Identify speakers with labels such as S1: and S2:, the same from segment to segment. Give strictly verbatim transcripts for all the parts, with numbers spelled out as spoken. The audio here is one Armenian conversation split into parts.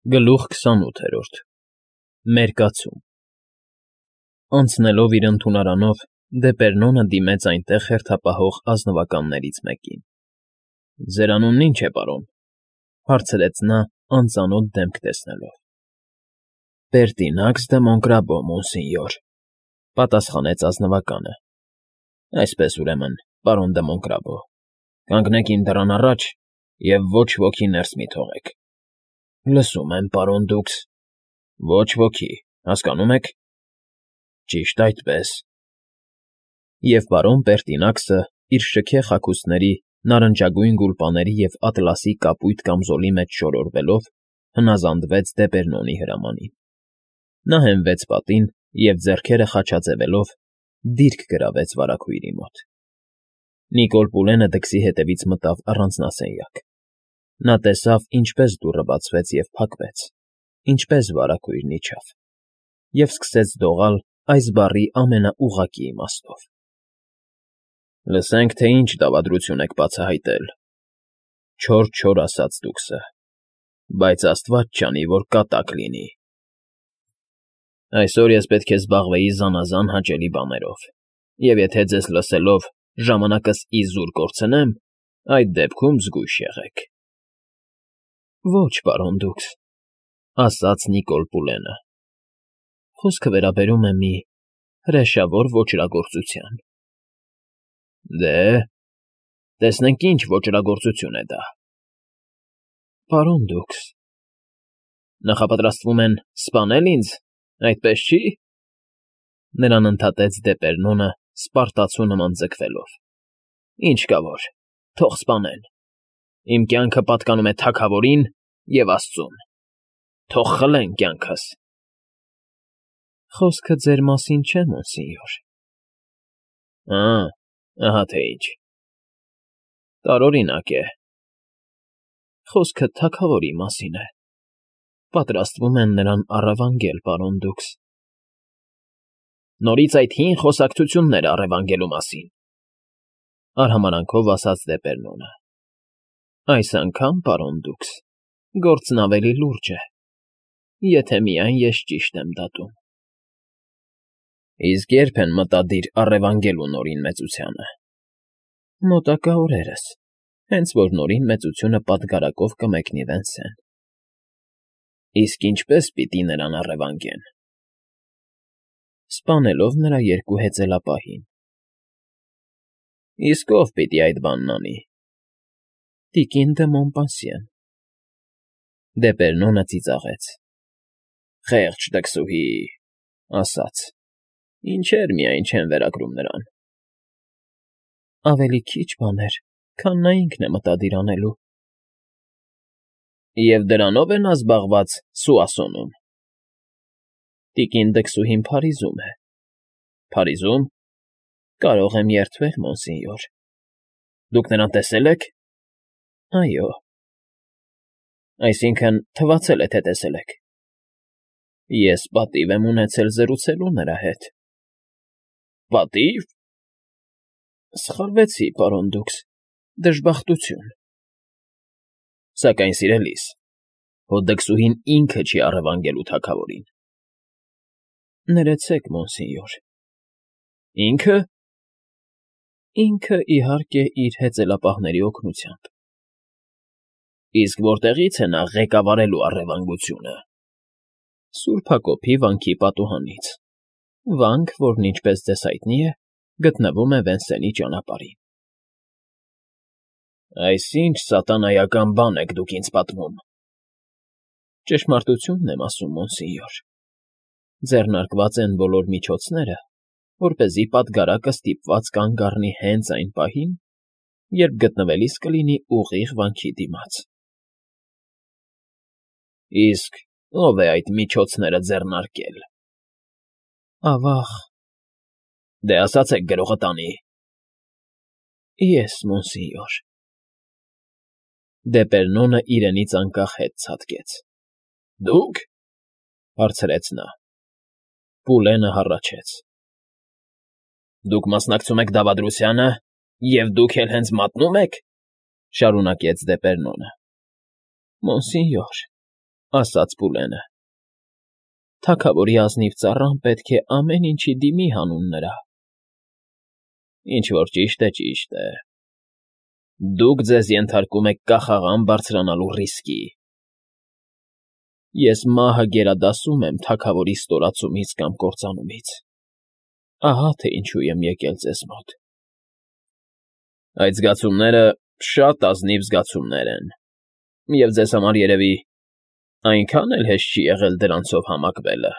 S1: Գլուխ քսանութ։ Մերկացում Անցնելով իր ընդունարանով՝ Դեպերնոնը դիմեց այնտեղ հերթապահող ազնվականներից մեկին։ ֊ Ձեր անունն ի՞նչ է, պարոն,֊ հարցրեց նա՝ անծանոթ դեմք տեսնելով։ ֊ Պերտինաքս դը Մոնկրաբո, մոնսինյոր,֊ պատասխանեց ազնվականը։ ֊ Այսպես, ուրեմն, պարոն դը Մոնկրաբո, կանգնեք իմ դռան առաջ և ոչ ոքի ներս մի թողեք։ ֊ Լսում եմ, պարոն, դուքս… Ոչ ոքի, հասկանո՞ւմ եք։ ֊ Ճիշտ այդպես… Եվ պարոն Պերտինաքսը իր շքեղ հագուստների, նարնջագույն գուլպաների և ատլասի կապույտ կամզոլի մեջ շորորվելով հնազանդվեց Դեպերնոնի հրամանին։ Նա հենվեց պատին և, ձեռքերը խաչաձևելով, դիրք գրավեց վարագույրի մոտ։ Նիկոլ Պուլենը դքսի հետևից մտավ առանձնասենյակ։ Նա տեսավ, ինչպես դուռը բացվեց և փակվեց, ինչպես վարագույրն իջավ, և սկսեց դողալ այս բառի ամենաուղղակի իմաստով. ֊ Լսենք, թե ինչ դավադրություն եք բացահայտել, չոր֊չոր ասաց դուքսը, բայց աստված չանի, որ կատակ լինի… Այսօր ես պետք է զբաղվեի զանազան հաճելի բաներով, և եթե ձեզ լսելով ժամանակս իզուր կորցնեմ, այդ դեպքում զգույշ եղեք… ֊ Ոչ, պարոն դուքս,֊ ասաց Նիկոլ Պուլենը,֊ խոսքը վերաբերում է մի հրեշավոր ոճրագործության։ ֊ Դե՞, տեսնենք ինչ ոճրագործություն է դա։ ֊ Պարոն դուքս… Նախապատրաստվում են սպանե՞լ ինձ, այդպես չի… Նրան ընդհատեց Դեպերնոնը սպարտացու նման ձգվելով։ ֊ Ինչ կա որ, թող սպանեն… Իմ կյանքը պատկանում է թագավորին և աստծուն… Թող խլեն կյանքս… ֊ Խոսքը ձեր մասին չէ, մոնսինյոր… ֊ Ա՜, ահա թե ինչ… Տարօրինակ է… Խոսքը թագավորի մասին է… Պատրաստվում են նրան առևանգել, պարոն դուքս… ֊ Նորից այդ հին խոսակցությունները առևանգելու մասին…֊ արհամարհանքով ասաց Դեպերնոնը։ ֊ Այս անգամ, պարոն դուքս, գործն ավելի լուրջ է, եթե միայն ես ճիշտ եմ դատում։ ֊ Իսկ ե՞րբ են մտադիր առևանգելու Նորին Մեծությանը։ ֊ Մոտակա օրերս, հենց որ Նորին Մեծությունը պատգարակով կմեկնի Վենսեն։ ֊ Իսկ ինչպե՞ս պիտի նրան առևանգեն։ ֊ Սպանելով նրա երկու հեծելապահին։ ֊ Իսկ ո՞վ պիտի այդ բանն անի։ ֊ Տիկին դը Մոմպասիեն… Դեպերնոնը ծիծաղեց։ ֊ Խեղճ տքսուհի…֊ ասաց։֊ Ինչեր միայն չեն վերագրում նրան։ ֊ Ավելի քիչ բաներ, քան նա ինքն է մտադիր անելու։ ֊ Եվ դրանո՞վ է նա զբաղված Սուասոնում։ ֊ Տիկին դքսուհին Փարիզում է։ ֊ Փարիզո՞ւմ։ ֊ Կարող եմ երդվել, մոնսինյոր։ ֊ Դուք նրան տեսե՞լ եք։ ֊ Այո։ ֊ Այսինքն՝ թվացել է, թե տեսել եք։ ֊ Ես պատիվ եմ ունեցել զրուցելու նրա հետ։ ֊ Պատի՞վ։ ֊ Սխալվեցի, պարոն դուքս, դժբախտություն… ֊ Սակայն, սիրելիս, հո դքսուհին ինքը չի առևանգելու թագավորին։ ֊ Ներեցեք, մոնսինյոր։ ֊ Ինքը։ ֊ Ինքը, իհարկե, իր հեծելապահների օգնությամբ։ ֊ Իսկ որտեղի՞ց է նա ղեկավարելու առևանգությունը։ ֊ Սուրբ Հակոբի վանքի պատուհանից, վանք, որն, ինչպես ձեզ հայտնի է, գտնվում է Վենսենի ճանապարհին։ ֊ Այս ի՞նչ սատանայական բան եք դուք ինձ պատմում։ ֊ Ճշմարտությունն եմ ասում, մոնսինյոր… Ձեռնարկված են բոլոր միջոցները, որպեսզի պատգարակը ստիպված կանգ առնի հենց այն պահին, երբ գտնվելիս կլինի ուղիղ վանքի դիմաց։ ֊ Իսկ ո՞վ է այդ միջոցները ձեռնարկել։ ֊ Ավա՜ղ… ֊ Դե ասացեք գրողը տանի։ ֊ Ես, մոնսինյոր… Դեպերնոնը իրենից անկախ հետ ցատկեց։ ֊ Դուք,֊ հարցրեց նա։ Պուլենը հառաչեց։ ֊ Դուք մասնակցում եք դավադրությանը, և դուք էլ հենց մատնում եք,֊ շարունակեց Դեպերնոնը։ ֊ Մոնսինյոր… ասաց Պուլենը։ Թագավորի ազնիվ ծառան պետք է ամեն ինչի դիմի հանուն նրա։ Ինչ որ ճիշտ է, ճիշտ է։ Դուք ձեզ ենթարկում եք կախաղան բարձրանալու ռիսկի։ Ես մահը գերադասում եմ թագավորի ստորացումից կամ կործանումից։ Ահա թե ինչու եմ եկել ձեզ մոտ։ Այդ զգացումները շատ ազնիվ զգացումներ են, և ձեզ համար երևի այնքան էլ հեշտ չի եղել դրանցով համակվելը։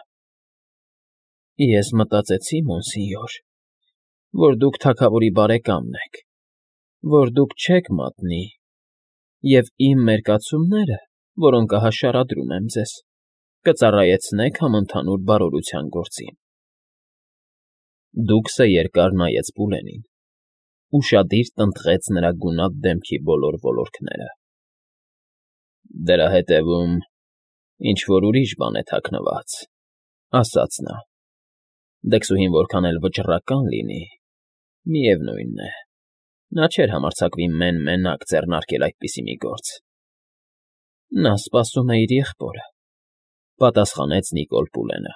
S1: Ես մտածեցի, մոնսինյոր, որ դուք թագավորի բարեկամն եք, որ դուք չեք մատնի, և իմ մերկացումները, որոնք ահա շարադրում եմ ձեզ, կծառայեցնեք համընդհանուր բարօրության գործին։ Դուքսը երկար նայեց Պուլենին, ուշադիր տնտղեց նրա գունատ դեմքի բոլոր ոլորքները։ Դրա հետևում ինչ֊որ ուրիշ բան է թաքնված, ասաց նա։ Դքսուհին որքան էլ վճռական լինի, միևնույն է, նա չէր համարձակվի մեն֊մենակ ձեռնարկել այդպիսի մի գործ։ Նա սպասում է իր եղբորը, պատասխանեց Նիկոլ Պուլենը։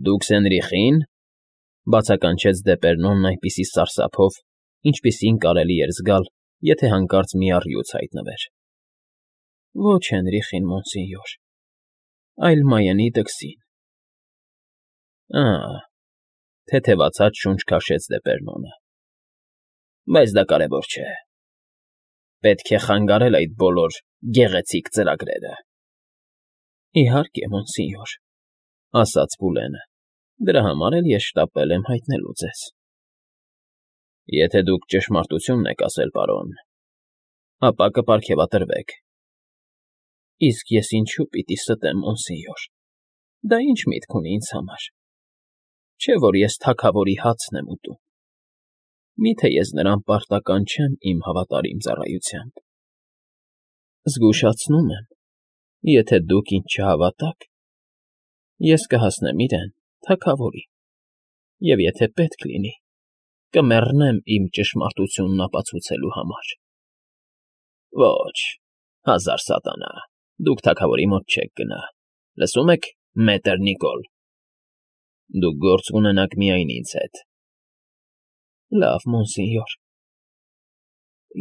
S1: Դուք Սենրիխի՞ն,֊ բացականչեց Դեպերնոնն այնպիսի սարսափով, ինչպիսին կարելի էր զգալ, եթե հանկարծ մի առյուծ հայտնվեր։ Ոչ Հենրիխին, մոնսինյոր, այլ Մայենի դքսին։ Ա՜, թեթևացած շունչ քաշեց Դեպերնոնը։ Բայց դա կարևոր չէ։ Պետք է խանգարել այդ բոլոր գեղեցիկ ծրագրերը։ Իհարկե, մոնսինյոր, ասաց Պուլենը, դրա համար էլ ես շտապել եմ հայտնելու ձեզ։ Եթե դուք ճշմարտությունն եք ասել, պարոն, ապա կպարգևատրվեք։ Իսկ ես ինչու պիտի ստեմ, մոնսինյոր, դա ինչ միտք ունի ինձ համար։ Չէ՞ որ ես թագավորի հացն եմ ուտում։ Մի՞թե ես նրան պարտական չեմ իմ հավատարիմ ծառայությամբ։ Զգուշացնում եմ, եթե դուք ինձ չհավատաք, ես կհասնեմ իրեն, թագավորին, և եթե պետք լինի, կմեռնեմ իմ ճշմարտությունն ապացուցելու համար։ Ոչ, հազար սատանա, դուք թագավորի մոտ չեք գնա, լսում եք, մետր Նիկոլ։ Դուք գործ կունենաք միայն ինձ հետ։ Լավ, մոնսինյոր։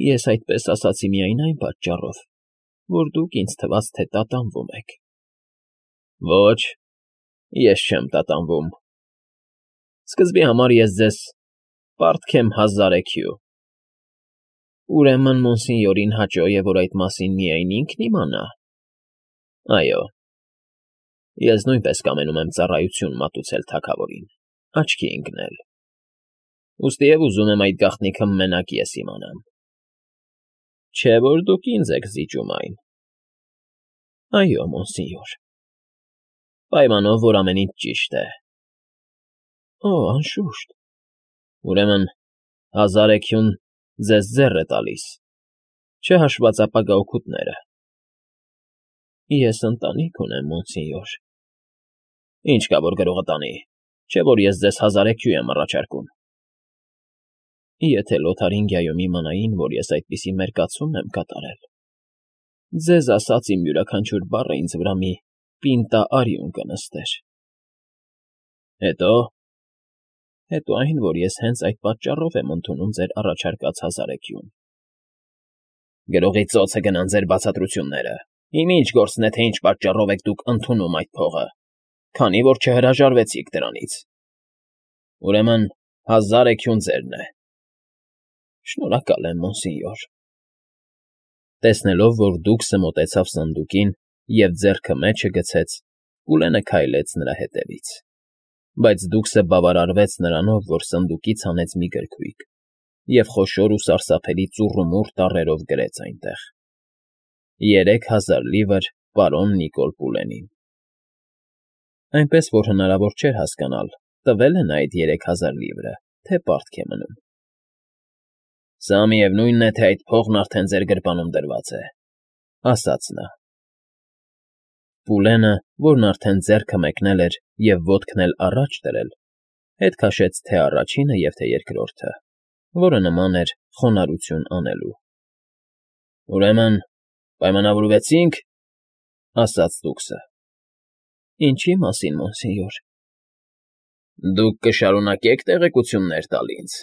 S1: Ես այդպես ասացի միայն այն պատճառով, որ դուք ինձ թվաց, թե տատանվում եք։ Ոչ, ես չեմ տատանվում։ Սկզբի համար ես ձեզ պարտքեմ հազար էքյու։ Ուրեմն մոնսինյորին հաճո է, որ այդ մասին միայն ինքն իմանա։ Այո, ես նույնպես կամենում եմ ծառայություն մատուցել թագավորին, աչքի ընկնել։ Ուստիև ուզում եմ այդ գաղտնիքը մենակ ես իմանամ։ Չէ՞ որ դուք ինձ եք զիջում այն։ Այո, մոնսինյոր։ Պայմանով, որ ամեն ինչ ճիշտ է։ Օ, անշուշտ։ Ուրեմն հազար էքյուն ձեզ ձեռ է տալիս, չհաշված ապագա օգուտները։ Ես ընտանիք ունեմ, մոնսինյոր։ Ինչ կա, որ գրողը տանի, չէ՞ որ ես ձեզ հազար էքյու եմ առաջարկում։ Եթե Լոթարինգիայում իմանային, որ ես այդպիսի մերկացում եմ կատարել, ձեզ ասած իմ յուրաքանչյուր բառը ինձ վրա մի պինտա արյուն կնստեր։ Հետո՞։ Հետո այն, որ ես հենց այդ պատճառով եմ ընդունում ձեր առաջարկած հազար էքյուն։ Գրողի ծոցը գնան ձեր բացատրությունները։ Իմ ինչ գործն է, թե ինչ պատճառով եք դուք ընդունում այդ փողը, քանի որ չհրաժարվեցիք դրանից։ Ուրեմն հազար էքյուն ձերն է։ Շնորհակալ եմ, մոնսինյոր։ Տեսնելով, որ դուքսը մոտեցավ սնդուկին և ձեռքը մեջը գցեց, Պուլենը քայլեց նրա հետևից։ Բայց դուքսը բավարարվեց նրանով, որ սնդուկից հանեց մի գրքույկ և խոշոր ու սարսափելի ծուռումուռ տառերով գրեց այնտեղ. երեք հազար լիվր պարոն Նիկոլ Պուլենին։ Այնպես որ հնարավոր չէր հասկանալ, տվել է նա այդ երեք հազար լիվրը, թե պարտք է մնում։ Սա միևնույնն է, թե այդ փողն արդեն ձեր գրպանում դրված է, ասաց նա։ Պուլենը, որն արդեն ձեռքը մեկնել էր և ոտքն էլ առաջ դրել, հետ քաշեց թե առաջինը և թե երկրորդը, որը նման էր խոնարհություն անելու։ Ուրեմն պայմանավորվեցի՞նք։ ասաց տուկսը։ Ինչի մասին, մոնսենյոր։ Դուք կշարունակեք տեղեկություններ տալ ինձ։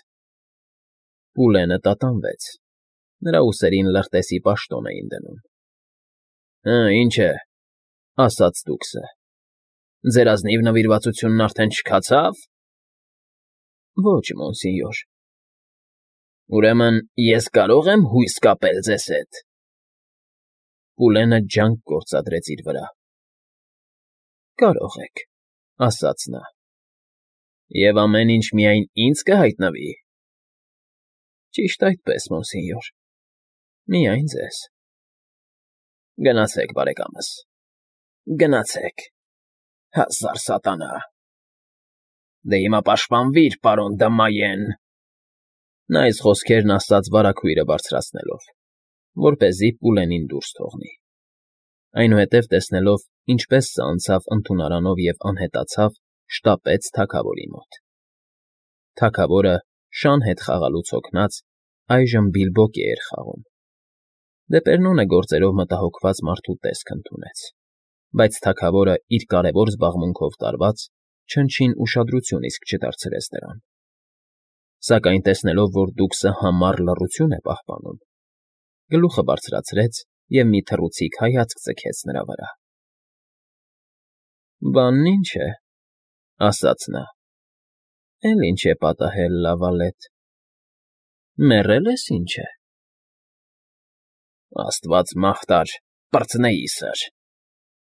S1: Պուլենը տատանվեց. նրա ուսերին լրտեսի պաշտոն էին դնում։ Հը, ինչ է, ասաց տուկսը։ Ձեր ազնիվ նվիրվածությունն արդեն չքացավ։ Ոչ, մոնսենյոր։ Ուրեմն ես կարող եմ հույս կապել ձեզ հետ։ Պուլենը ջանք գործադրեց իր վրա։ Կարող եք, ասաց նա։ Եվ ամեն ինչ միայն ինձ կհայտնվի։ Ճիշտ այդպես, մոնսենյոր։ Միայն ձեզ։ Գնացեք, բարեկամս։ Գնացեք։ Հազար սատանա։ Դե հիմա պաշտպանվիր, պարոն Դմայեն։ Նա այս խոսքերն ասաց վարագույրը բարձրացնելով, որպեսզի Պուլենին դուրս թողնի։ Այնուհետև տեսնելով, ինչպես սա անցավ ընդունարանով և անհետացավ, շտապեց թագավորի մոտ։ Թագավորը, շան հետ խաղալուց հոգնած, այժմ Բիլբոկի էր խաղում։ Դեպերնոնը գործերով մտահոգված մարդու տեսք ընդունեց, բայց թագավորը իր կարևոր զբաղմունքով տարված, չնչին ուշադրություն իսկ չդարձրեց դրան։ Սակայն տեսնելով, որ տուկսը համառ լռություն է պահպանում, գլուխը բարձրացրեց և մի թռուցիկ հայացք ձգեց նրա վրա։ Բանն ինչ է, ասաց նա։ Էլ ինչ է պատահել, Լավալետ։ Մեռել ես, ինչ է։ Աստված մաղթար, պրծնեի սր,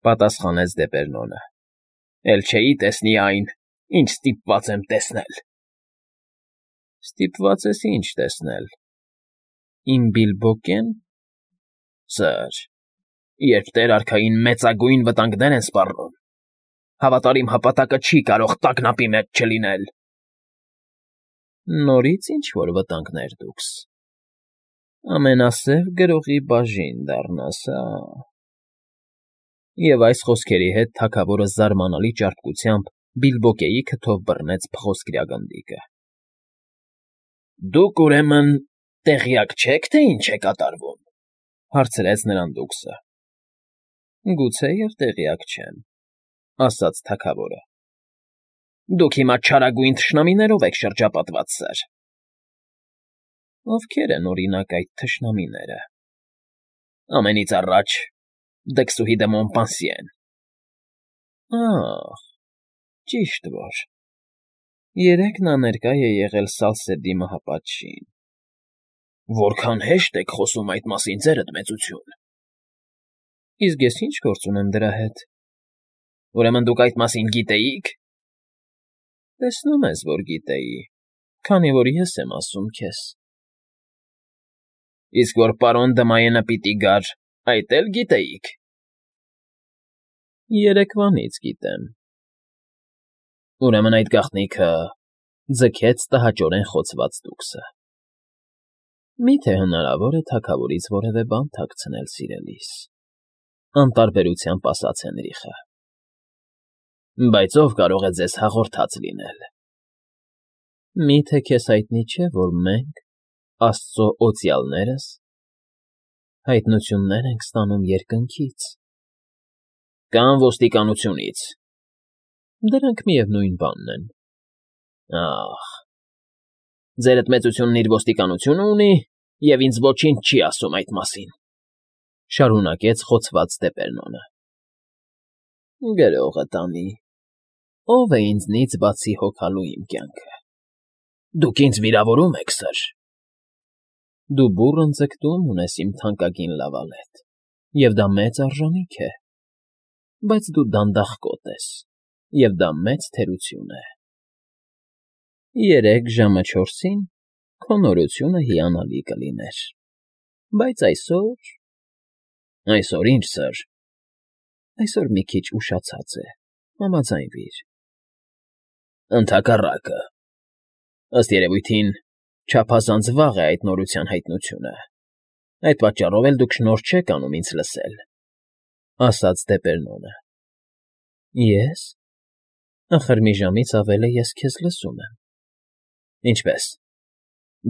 S1: պատասխանեց Դեպերնոնը։ Էլ չէի տեսնի այն, ինչ ստիպված եմ տեսնել։ Ստիպված ես ինչ տեսնել։ Իմ Բիլբոկեն։ Սր, երբ Տեր արքային մեծագույն վտանգներ են սպառնում, հավատարիմ հպատակը չի կարող տագնապի մեջ չլինել։ Նորից ինչ֊որ վտանգներ դուքս։ Ամենասև գրողի բաժին դառնաս, հա։ Եվ այս խոսքերի հետ թագավորը զարմանալի ճարպկությամբ Բիլբոկեի քթով բռնեց փղոսկրյա գնդիկը։ Դուք, ուրեմն, տեղյակ չեք, թե ինչ է կատարվում, հարցրեց նրան տուկսը։ Գուցեև տեղյակ չեմ, ասաց թագավորը։ Դուք հիմա չարագույն թշնամիներով եք շրջապատված, սր։ Ովքեր են, օրինակ, այդ թշնամիները։ Ամենից առաջ Դքսուհի դե Մոնպանսիեն։ Ահ, ճիշտ որ։ Երեկ նա ներկա է եղել Սալսեդի մահապատժին։ Որքան հեշտ եք խոսում այդ մասին, ձերդ մեծություն։ Իսկ ես ինչ գործ ունեմ դրա հետ։ Ուրեմն դուք այդ մասին գիտեիք։ Տեսնում ես, որ գիտեի, քանի որ ես եմ ասում քեզ։ Իսկ որ պարոն Դմայենը պիտի գար, այդ էլ գիտեիք։ Երեկվանից գիտեմ։ Ուրեմն այդ գաղտնիքը ձգեց տհաճորեն խոցված տուկսը։ Մի՞թե հնարավոր է թագավորից որևէ բան թաքցնել, սիրելիս, անտարբերությամբ ասաց Հենրիխը։ Բայց ով կարող է ձեզ հաղորդած լինել։ Մի՞թե քեզ հայտնի չէ, որ մենք, Աստծո օծյալներս, հայտնություններ ենք ստանում երկնքից։ Կամ ոստիկանությունից։ Դրանք միևնույն բանն են։ Ահ, ձերդ մեծությունն իր ոստիկանությունը ունի, և ինձ ոչինչ չի ասում այդ մասին, շարունակեց խոցված Դեպերնոնը։ Գրողը տանի, ով է ինձնից բացի հոգալու իմ կյանքը։ Դուք ինձ վիրավորում եք, սր։ Դու բուռն ձգտում ունես, իմ թանկագին Լավալետ, և դա մեծ արժանիք է, բայց դու դանդաղ կոտ ես, և դա մեծ թերություն է։ Երեկ ժամը չորսին քո նորությունը հիանալի կլիներ, բայց այսօր… Այսօր ինչ, սր։ Այսօր մի քիչ ուշացած է, համաձայնվիր։ Ընդհակառակը, ըստ երևույթին, չափազանց վաղ է այդ նորության հայտնությունը, այդ պատճառով էլ դուք շնորհ չեք անում ինձ լսել, ասաց Դեպերնոնը։ Ես… Ախր մի ժամից ավել է ես քեզ լսում եմ։ Ինչպե՞ս։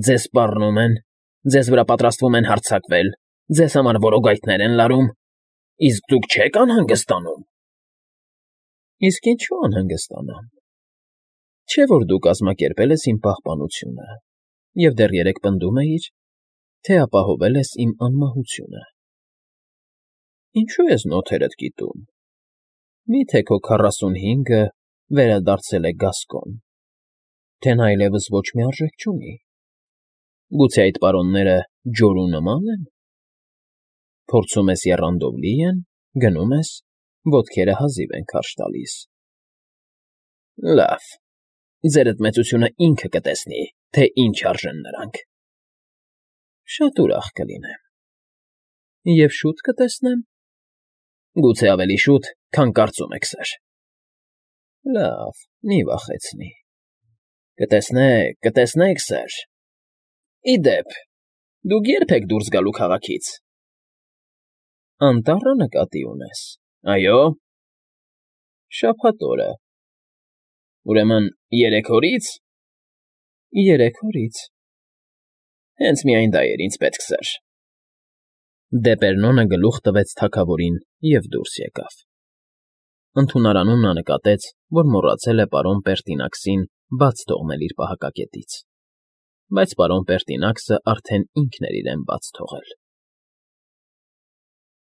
S1: Ձեզ սպառնում են, ձեզ վրա պատրաստվում են հարձակվել, ձեզ համար որոգայթներ են լարում, Իսկ դուք չե՞ք անհանգստանում։ Իսկ ինչու անհանգստանամ։ Չէ՞ որ դու կազմակերպել ես իմ պահպանությունը և դեռ երեկ պնդում էիր, թե ապահովել ես իմ անմահությունը։ Ինչո՞ւ ես նոթերդ կիտում։ Մի՞թե քո քառասունհինգը վերադարձել է գասկոն, թե նա այլևս ոչ մի արժեք չունի։ Գուցե այդ պարոնները ջորու նման են։ Փորձում ես եռանդով լի են, գնում ես, ոտքերը հազիվ են քարշ տալիս։ Լավ, ձերդ մեծությունը ինքը կտեսնի, թե ինչ արժեն նրանք։ Շատ ուրախ կլինեմ։ Եվ շուտ կտեսնեմ։ Գուցե ավելի շուտ, քան կարծում եք, սըր։ Լավ, մի վախեցնի։ Կտեսնեք, կտեսնեք, սըր։ Ի դեպ, դուք ե՞րբ եք դուրս գալու քաղաքից։ Անտառը նկատի ունես։ Այո։ Շաբաթ օրը։ Ուրեմն երեք օրի՞ց։ Երեք օրից։ Հենց միայն դա էր ինձ պետք, սըր։ Դեպերնոնը գլուխ տվեց թագավորին և դուրս եկավ։ Ընդունարանում նա նկատեց, որ մոռացել է պարոն Պերտինաքսին բաց թողնել իր պահակակետից, բայց պարոն Պերտինաքսը արդեն ինքն էր իրեն բաց թողել։